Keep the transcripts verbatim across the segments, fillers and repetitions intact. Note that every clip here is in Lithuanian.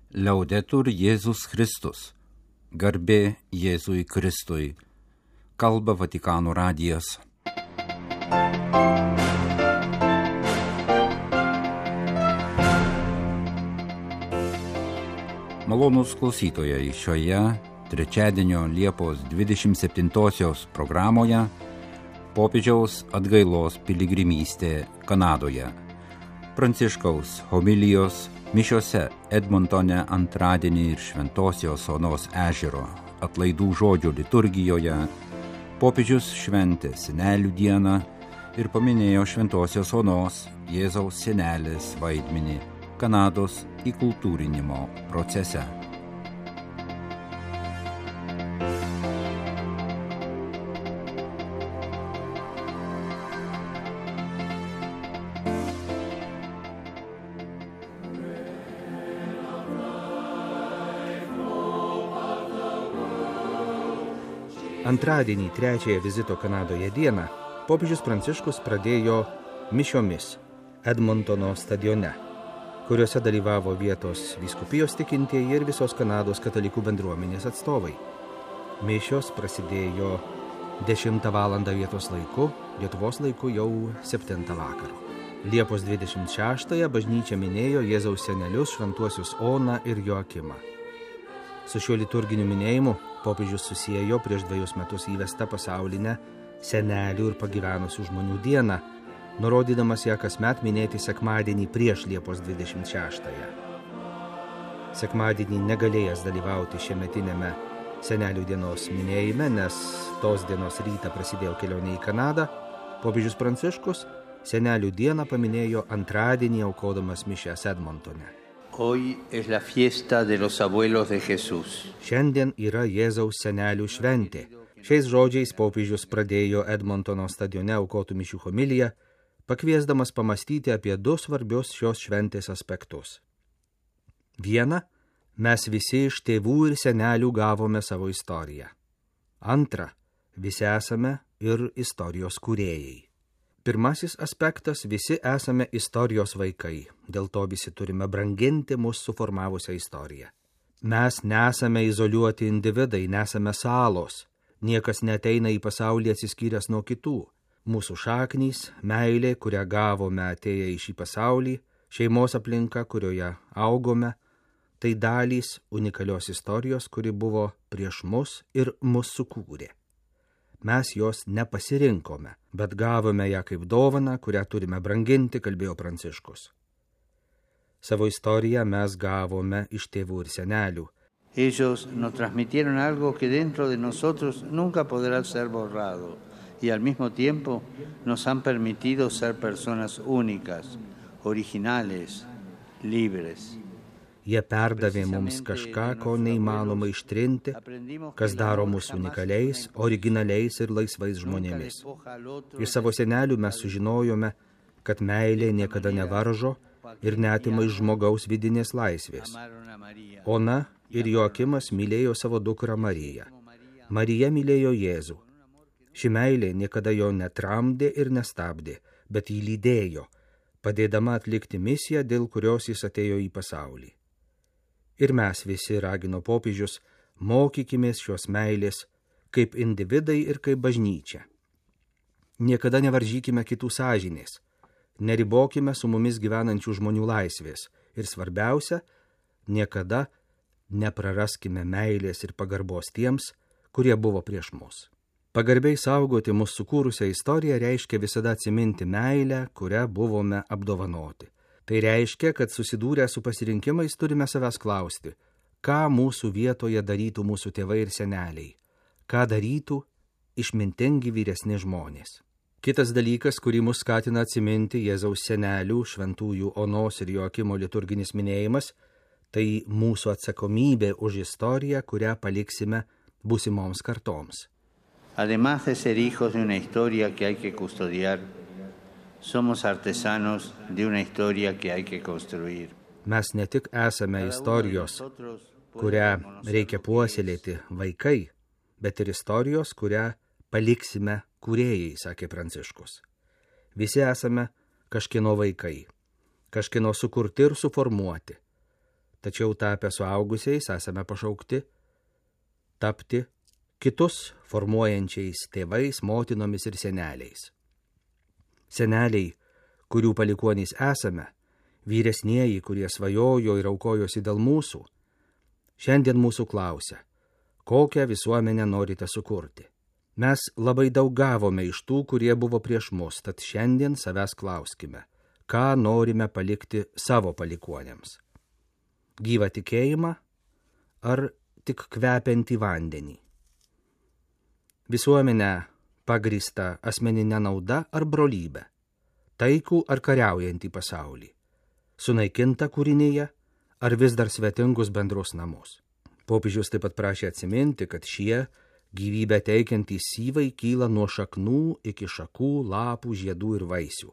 Liaudetur Jėzus Kristus. Garbė Jėzui Kristui. Kalba Vatikano radijas. Malonūs klausytojai, šioje trečiadienio Liepos dvidešimt septintosios programoje popiežiaus atgailos piligrimystė Kanadoje. Pranciškaus homilijos mišiose Edmontone antradienį ir Šventosios Onos ežero atlaidų žodžio liturgijoje popiežius šventė Senelių dieną ir paminėjo Šventosios Onos Jėzaus senelės vaidmenį Kanados įkultūrinimo procese. Antradienį trečiąją vizito Kanadoje dieną popiežius Pranciškus pradėjo mišiomis Edmontono stadione, kuriuose dalyvavo vietos vyskupijos tikintieji ir visos Kanados katalikų bendruomenės atstovai. Mišios prasidėjo dešimtą valandą vietos laiku, Lietuvos laiku jau septintą vakaro. Liepos dvidešimt šeštąją bažnyčia minėjo Jėzaus senelius šventuosius Oną ir Joakimą. Su šiuo liturginiu minėjimu popiežius susiejo prieš dvejus metus įvestą pasaulinę senelių ir pagyvenusių žmonių dieną, nurodydamas ją kasmet minėti sekmadienį prieš Liepos dvidešimt šeštąją. Sekmadienį negalėjęs dalyvauti šiemetinėme senelių dienos minėjime, nes tos dienos rytą prasidėjo kelionė į Kanadą, popiežius Pranciškus senelių dieną paminėjo antradienį aukodamas mišias Edmontone. Hoy es la fiesta de los abuelos de Jesús. Šiandien yra Jėzaus senelių šventė. Šiais žodžiais popiežius pradėjo Edmontono stadione aukotų mišių homiliją, pakviesdamas pamastyti apie du svarbius šios šventės aspektus. Viena, mes visi iš tėvų ir senelių gavome savo istoriją. Antra, visi esame ir istorijos kūrėjai. Pirmasis aspektas, visi esame istorijos vaikai, dėl to visi turime branginti mūsų suformavusią istoriją. Mes nesame izoliuoti individai, nesame salos, niekas neteina į pasaulį atsiskyręs nuo kitų. Mūsų šaknys, meilė, kurią gavome atėję į šį pasaulį, šeimos aplinka, kurioje augome, tai dalys unikalios istorijos, kuri buvo prieš mus ir mus sukūrė. Mes jos nepasirinkome, bet gavome ją kaip dovaną, kurią turime branginti, kalbėjo Pranciškus. Savo istoriją mes gavome iš tėvų ir senelių. Ellos nos transmitieron algo que dentro de nosotros nunca podrá ser borrado y al mismo tiempo nos han permitido ser personas únicas, originales, libres. Jie perdavė mums kažką, ko neįmanoma ištrinti, kas daro mus unikaliais, originaliais ir laisvais žmonėmis. Iš savo senelių mes sužinojome, kad meilė niekada nevaržo ir neatima iš žmogaus vidinės laisvės. Ona ir Joakimas mylėjo savo dukrą Mariją. Marija mylėjo Jėzų. Ši meilė niekada jo netramdė ir nestabdė, bet jį lydėjo, padėdama atlikti misiją, dėl kurios jis atėjo į pasaulį. Ir mes visi, ragino popiežius, mokykimės šios meilės kaip individai ir kaip bažnyčia. Niekada nevaržykime kitų sąžinės, neribokime su mumis gyvenančių žmonių laisvės ir svarbiausia, niekada nepraraskime meilės ir pagarbos tiems, kurie buvo prieš mus. Pagarbiai saugoti mūsų sukūrusią istoriją reiškia visada atsiminti meilę, kurią buvome apdovanoti. Tai reiškia, kad susidūrę su pasirinkimais turime savęs klausti, ką mūsų vietoje darytų mūsų tėvai ir seneliai, ką darytų išmintingi vyresni žmonės. Kitas dalykas, kurį mus skatina atsiminti Jėzaus senelių, šventųjų Onos ir Joakimo liturginis minėjimas, tai mūsų atsakomybė už istoriją, kurią paliksime būsimoms kartoms. Además de ser hijos de una historia que hay que custodiar, somos artesanos de una historia que hay que construir. Mes ne tik esame istorijos, kurią reikia puoselėti vaikai, bet ir istorijos, kurią paliksime kūrėjai, sakė Pranciškus. Visi esame kažkieno vaikai, kažkieno sukurti ir suformuoti. tačiau tapę suaugusiais esame pašaukti tapti kitus formuojančiais tėvais, motinomis ir seneliais. Seneliai, kurių palikuonys esame, vyresnieji, kurie svajojo ir aukojosi dėl mūsų, šiandien mūsų klausia, kokią visuomenę norite sukurti. Mes labai daug gavome iš tų, kurie buvo prieš mus, tad šiandien savęs klauskime, ką norime palikti savo palikuonėms. Gyvą tikėjimą ar tik kvepiantį vandenį? Visuomenę pagrįstą asmeninę naudą ar brolybę? Taikų ar kariaujantį pasaulį? Sunaikinta kūrinyje ar vis dar svetingus bendrus namus? Popiežius taip pat prašė atsiminti, kad šie gyvybę teikiantys syvai kyla nuo šaknų iki šakų, lapų, žiedų ir vaisių.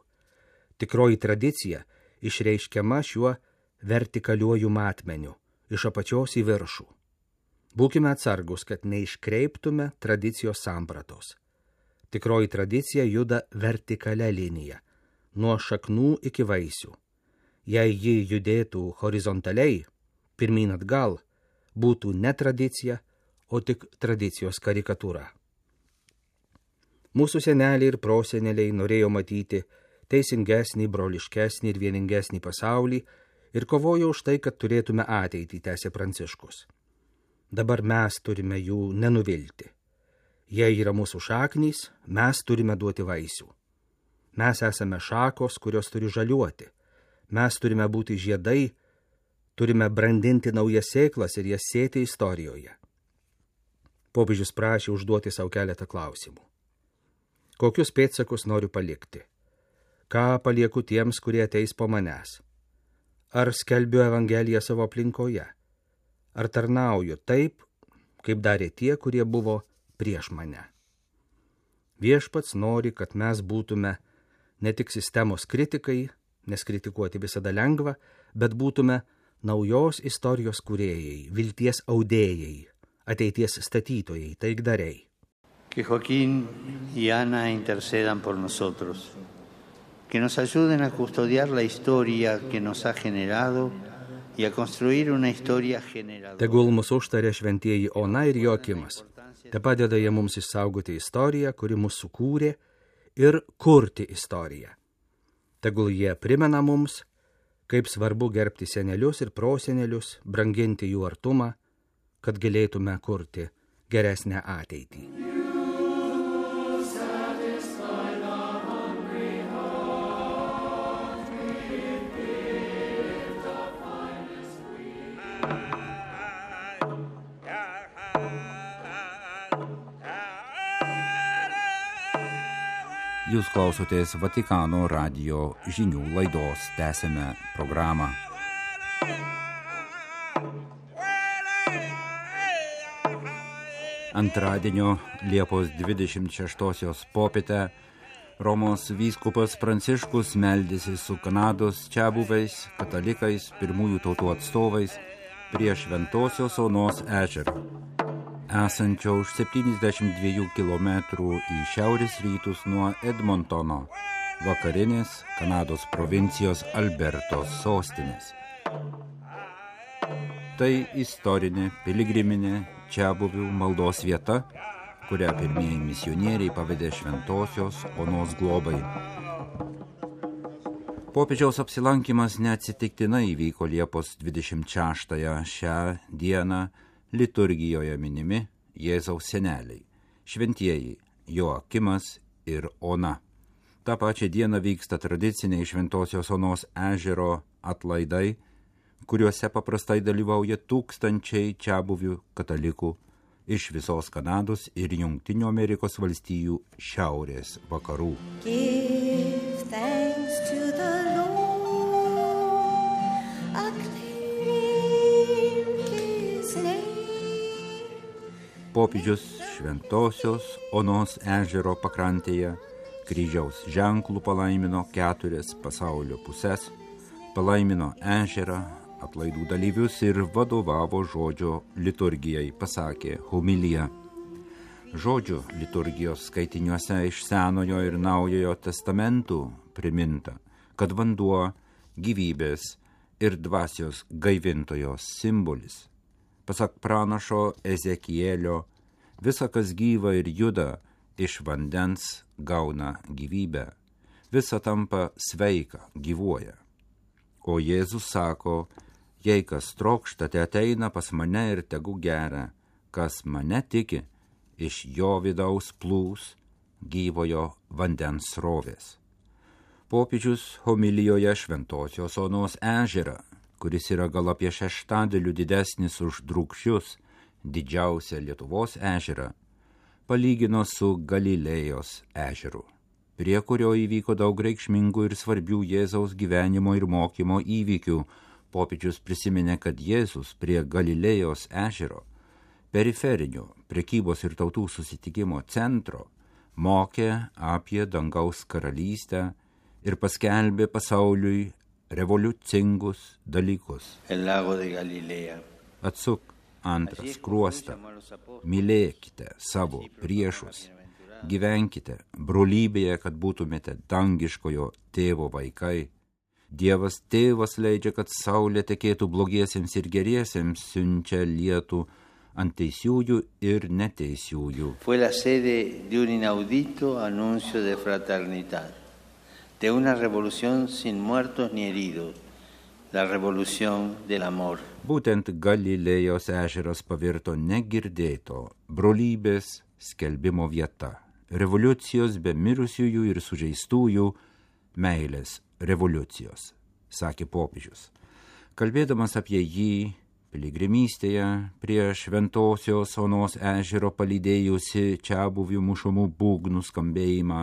Tikroji tradicija išreiškiama šiuo vertikaliuoju matmeniu, iš apačios į viršų. Būkime atsargus, kad neiškreiptume tradicijos sampratos. Tikroji tradicija juda vertikalia linija, nuo šaknų iki vaisių. Jei ji judėtų horizontaliai, pirmyn atgal, būtų ne tradicija, o tik tradicijos karikatūra. Mūsų seneliai ir proseneliai norėjo matyti teisingesnį, broliškesnį ir vieningesnį pasaulį ir kovojo už tai, kad turėtume ateitį, tęsė Pranciškus. Dabar mes turime jų nenuvilti. Jei yra mūsų šaknys, mes turime duoti vaisių. Mes esame šakos, kurios turi žaliuoti. Mes turime būti žiedai, turime brandinti naujas sėklas ir jas sėti istorijoje. Popiežius prašė užduoti savo keletą klausimų. Kokius pėdsakus noriu palikti? Ką palieku tiems, kurie ateis po manęs? Ar skelbiu Evangeliją savo aplinkoje? Ar tarnauju taip, kaip darė tie, kurie buvo prieš mane? Viešpats nori, kad mes būtume ne tik sistemos kritikai, nes kritikuoti visada lengva, bet būtume naujos istorijos kūrėjai, vilties audėjai, ateities statytojai, taikdariai. Que Joaquín y Ana intercedan por nosotros, que nos ayuden a custodiar la historia que nos ha generado y a construir una historia generadora. Tegul mūsų užtarė šventieji Ona ir Joakimas. Te padeda jie mums išsaugoti istoriją, kuri mus sukūrė, ir kurti istoriją. Tegul jie primena mums, kaip svarbu gerbti senelius ir prosenelius, branginti jų artumą, kad galėtume kurti geresnę ateitį. Jūs klausotės Vatikano radijo žinių laidos, tęsėme programą. Antradienio Liepos dvidešimt šeštosios popietę Romos vyskupas Pranciškus meldėsi su Kanados čiabuviais, katalikais, pirmųjų tautų atstovais prie Šventosios Onos ežero, esančio už septyniasdešimt dviejų kilometrų į šiaurės rytus nuo Edmontono, vakarinės Kanados provincijos Albertos sostinės. Tai istorinė piligriminė čiabuvių maldos vieta, kurią pirmieji misionieriai pavedė Šventosios Onos globai. Popiežiaus apsilankymas neatsitiktinai vyko Liepos dvidešimt šeštąją šią dieną liturgijoje minimi Jėzaus seneliai, šventieji Joakimas ir Ona. Ta pačia diena vyksta tradiciniai Šventosios Onos ežero atlaidai, kuriuose paprastai dalyvauja tūkstančiai čiabuvių katalikų iš visos Kanados ir Jungtinių Amerikos valstijų šiaurės vakarų. Give thanks to the Lord, acclaim his name. Popiežius Šventosios Onos ežero pakrantėje kryžiaus ženklų palaimino keturias pasaulio puses, palaimino ežerą, atlaidų dalyvius ir vadovavo žodžio liturgijai, pasakė homiliją. Žodžio liturgijos skaitiniuose iš Senojo ir Naujojo testamentų priminta, kad vanduo gyvybės ir dvasios gaivintojos simbolis. Pasak pranašo Ezekielio, visa, kas gyva ir juda, iš vandens gauna gyvybę. Visa tampa sveika, gyvuoja. O Jėzus sako, jei kas trokšta, te ateina pas mane ir tegu geria, kas mane tiki, iš jo vidaus plūs gyvojo vandens srovės. Popiežius homilijoje Šventosios Onos ežerą, kuris yra gal apie šeštadaliu didesnis už Drūkšius, didžiausią Lietuvos ežerą, palygino su Galilėjos ežeru, prie kurio įvyko daug reikšmingų ir svarbių Jėzaus gyvenimo ir mokymo įvykių. Popiežius prisiminė, kad Jėzus prie Galilėjos ežero, periferinio prekybos ir tautų susitikimo centro, mokė apie dangaus karalystę ir paskelbė pasauliui revoliucingus dalykus. Atsuk antrą skruostą, mylėkite savo priešus, gyvenkite brolybėje, kad būtumėte dangiškojo tėvo vaikai. Dievas tėvas leidžia, kad saulė tekėtų blogiesiems ir geriesiems, siunčia lietų ant teisiųjų ir neteisiųjų. Fue la sede de un inaudito anuncio de fraternidad, de una revolución sin muertos ni heridos, la revolución del amor. Būtent Galilėjos ežeras pavirto negirdėto brolybės skelbimo vieta, revoliucijos be mirusiųjų ir sužeistųjų, meilės revoliucijos, sakė popiežius. Kalbėdamas apie jį, piligrimystėje prie Šventosios Onos ežero palydėjusi čiabuvių mušamų būgnų skambėjimą,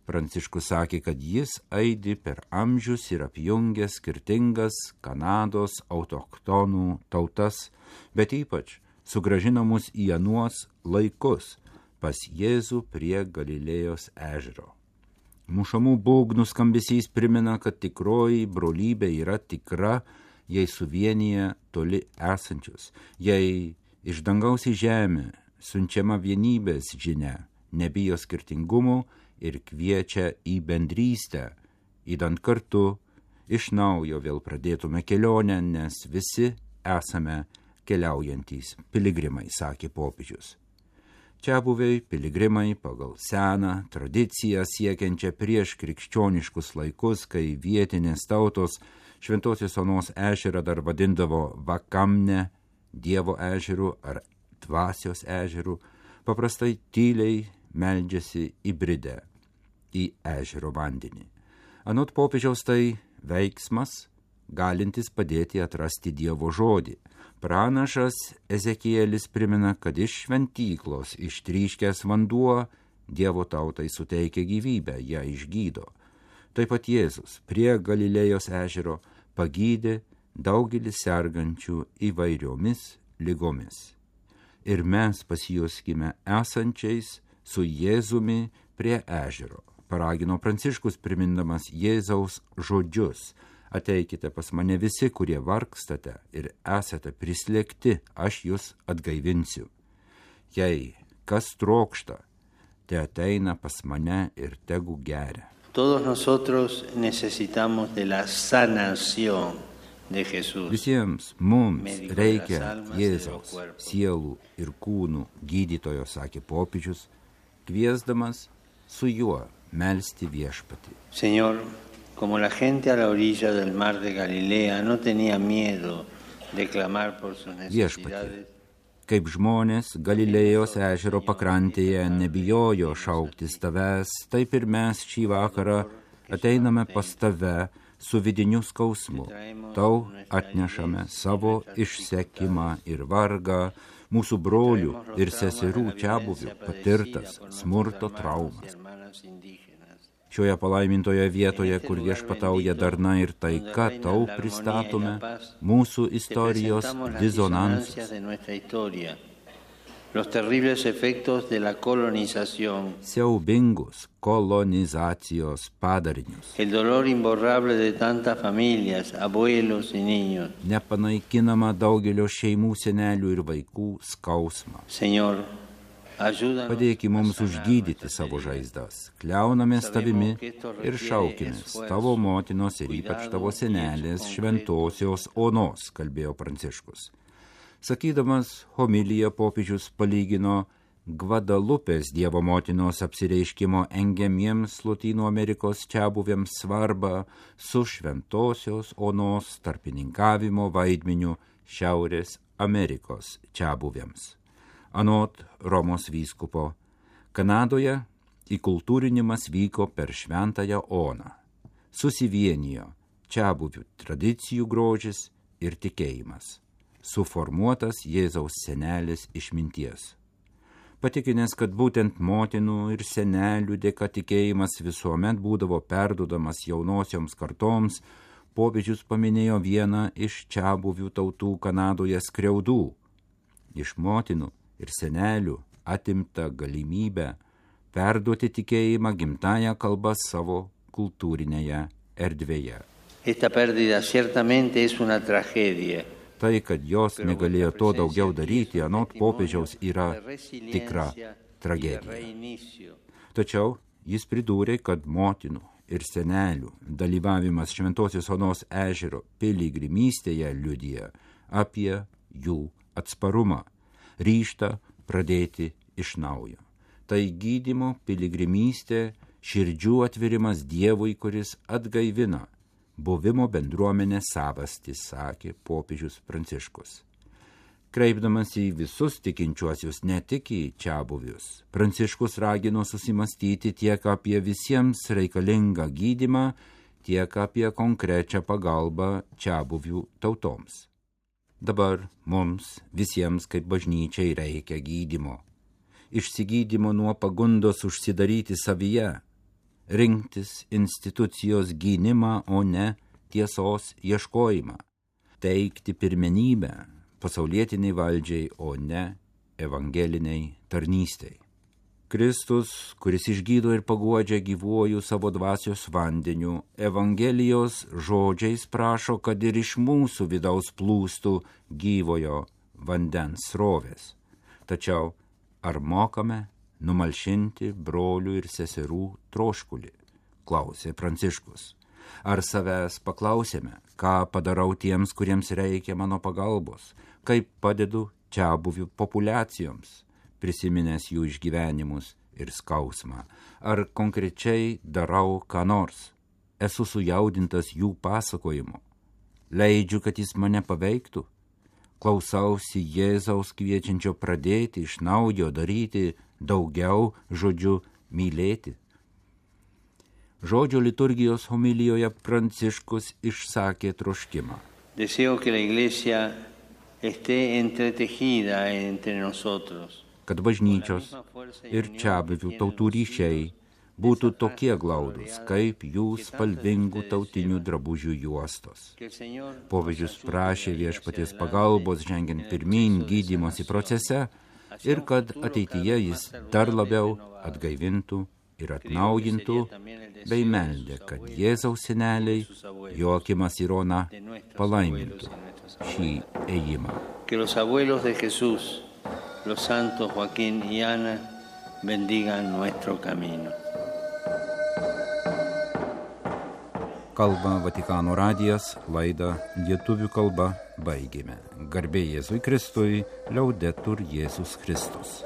Pranciškus sakė, kad jis aidi per amžius ir apjungia skirtingas Kanados autochtonų tautas, bet ypač sugrąžina mus į anuos laikus pas Jėzų prie Galilėjos ežero. Mušamų būgnų skambesys primena, kad tikroji brolybė yra tikra, jei suvienyje toli esančius, jei iš dangaus į žemę siunčiama vienybės žinia, nebijo skirtingumų ir kviečia į bendrystę, įdant kartu iš naujo vėl pradėtume kelionę, nes visi esame keliaujantys piligrimai, sakė popiežius. Čiabuviai piligrimai pagal seną tradiciją siekiančią prieš krikščioniškus laikus, kai vietinės tautos Šventosios Onos ežerą dar vadindavo Vakamne, Dievo ežeru ar Dvasios ežeru, paprastai tyliai meldžiasi įbridę į ežero vandenį. Anot popiežiaus tai veiksmas, galintis padėti atrasti Dievo žodį. Pranašas Ezekielis primena, kad iš šventyklos ištryškęs vanduo Dievo tautai suteikia gyvybę, ją išgydo. Taip pat Jėzus prie Galilėjos ežero pagydė daugelį sergančių įvairiomis ligomis. Ir mes pasijuskime esančiais su Jėzumi prie ežero, paragino Pranciškus primindamas Jėzaus žodžius. Ateikite pas mane visi, kurie vargstate ir esate prislėgti, aš jūs atgaivinsiu. Jei kas trokšta, te ateina pas mane ir tegu geria. Todos nosotros necesitamos de la sanación de Jesús. Visiems mums reikia Jėzaus sielų ir kūnų gydytojo, sakė popiežius, kviesdamas su juo melsti viešpatį. Señor, como la gente a la orilla del mar de Galilea no tenía miedo de clamar por sus necesidades. Kaip žmonės Galilėjos ežero pakrantėje nebijojo šauktis tavęs, taip ir mes šį vakarą ateiname pas tave su vidiniu skausmu. Tau atnešame savo išsekimą ir vargą, mūsų brolių ir seserų čiabuvių patirtas smurto traumas. Šioje palaimintoje vietoje, kur viešpatauja darna ir taika, tau pristatome mūsų istorijos disonansus. Los terribles efectos de la colonización. Siaubingus kolonizacijos padarinius. El dolor imborrable de tantas familias, abuelos y niños. Nepanaikinama daugelio šeimų, senelių ir vaikų skausmą. Señor, Padėki mums užgydyti savo žaizdas, kliaunamės tavimi ir šaukimės tavo motinos ir ypač tavo senelės šventosios onos, kalbėjo Pranciškus. Sakydamas homiliją, popiežius palygino Gvadalupės Dievo motinos apsireiškimo engiamiems Lotynų Amerikos čiabuvėms svarbą su šventosios onos tarpininkavimo vaidmeniu Šiaurės Amerikos čiabuvėms. Anot Romos vyskupo, Kanadoje įkultūrinimas vyko per šventąją oną. Susivienijo čiabuvių tradicijų grožis ir tikėjimas, suformuotas Jėzaus senelės išminties. Patikinęs, kad būtent motinų ir senelių dėka tikėjimas visuomet būdavo perduodamas jaunosioms kartoms, popiežius paminėjo vieną iš čiabuvių tautų Kanadoje skriaudų. Iš motinų ir senelių atimta galimybę perduoti tikėjimą gimtąją kalbą savo kultūrinėje erdvėje. Esta pérdida ciertamente es una tragedia. Tai, kad jos negalėjo to daugiau daryti, anot popiežiaus, yra tikra tragedija. Tačiau jis pridūrė, kad motinų ir senelių dalyvavimas Šventosios Onos ežero piligrimystėje liudija apie jų atsparumą, ryžtą pradėti iš naujo. Tai gydymo piligrimystė, širdžių atvirimas Dievui, kuris atgaivina buvimo bendruomenė savastį, sakė popiežius Pranciškus. Kreipdamas į visus tikinčiuosius, ne tik į čiabuvius, Pranciškus ragino susimastyti tiek apie visiems reikalingą gydymą, tiek apie konkrečią pagalbą čiabuvių tautoms. Dabar mums visiems kaip bažnyčiai reikia gydymo. Išsigydymo nuo pagundos užsidaryti savyje, rinktis institucijos gynimą, o ne tiesos ieškojimą, teikti pirmenybę pasaulietiniai valdžiai, o ne evangeliniai tarnystei. Kristus, kuris išgydo ir paguodžia gyvuoju savo dvasios vandeniu, Evangelijos žodžiais prašo, kad ir iš mūsų vidaus plūstų gyvojo vandens srovės. Tačiau ar mokame numalšinti brolių ir seserų troškulį, klausė Pranciškus. Ar savęs paklausėme, ką padarau tiems, kuriems reikia mano pagalbos, kaip padedu čiabuvių populiacijoms, prisiminęs jų išgyvenimus ir skausmą, ar konkrečiai darau ką nors, esu sujaudintas jų pasakojimo, leidžiu, kad jis mane paveiktų, klausausi Jėzaus kviečiančio pradėti iš naujo daryti daugiau, žodžiu, mylėti. Žodžio liturgijos homilijoje Pranciškus išsakė troškimą. Deseo que la iglesia esté entretejida entre nosotros. Kad bažnyčios ir čiabuvių tautų ryšiai būtų tokie glaudus, kaip jų spalvingų tautinių drabužių juostos. Popiežius prašė Viešpaties pagalbos žengiant pirmyn gydymosi procese ir kad ateityje jis dar labiau atgaivintų ir atnaujintų, bei meldė, kad Jėzaus seneliai Joakimas ir Ona palaimintų šį ėjimą. Que los abuelos de Jesús, los santos Joaquín y Ana, bendigan nuestro camino. Kalba Vatikano radijas, laidą lietuvių kalba baigėme. Garbė Jėzui Kristui, liaudetur Jėzus Kristus.